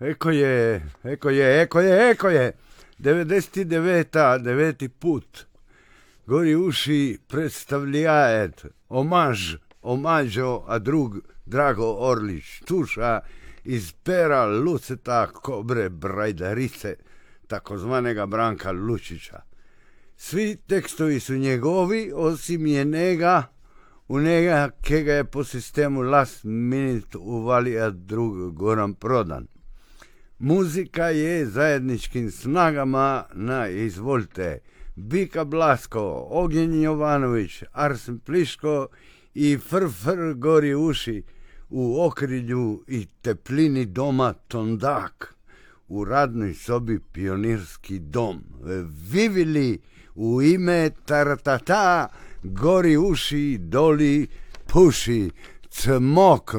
Eko je. 99. put. Gori uši predstavljajet omažo, a drug Drago Orlić, tuša iz pera Luceta Kobre Brajdarice, takozvanega Branka Lučića. Svi tekstovi su njegovi, osim u njega kega je po sistemu last minute uvalija drug Goran Prodan. Muzika je zajedničkim snagama na izvolite Bika Blasko, Ognjen Jovanović, Arsen Pliško i Frfr Gori uši u okrilju i teplini doma Tondak, u radnoj sobi Pionirski dom. Vivili u ime Taratata, Gori uši, doli puši, cmok,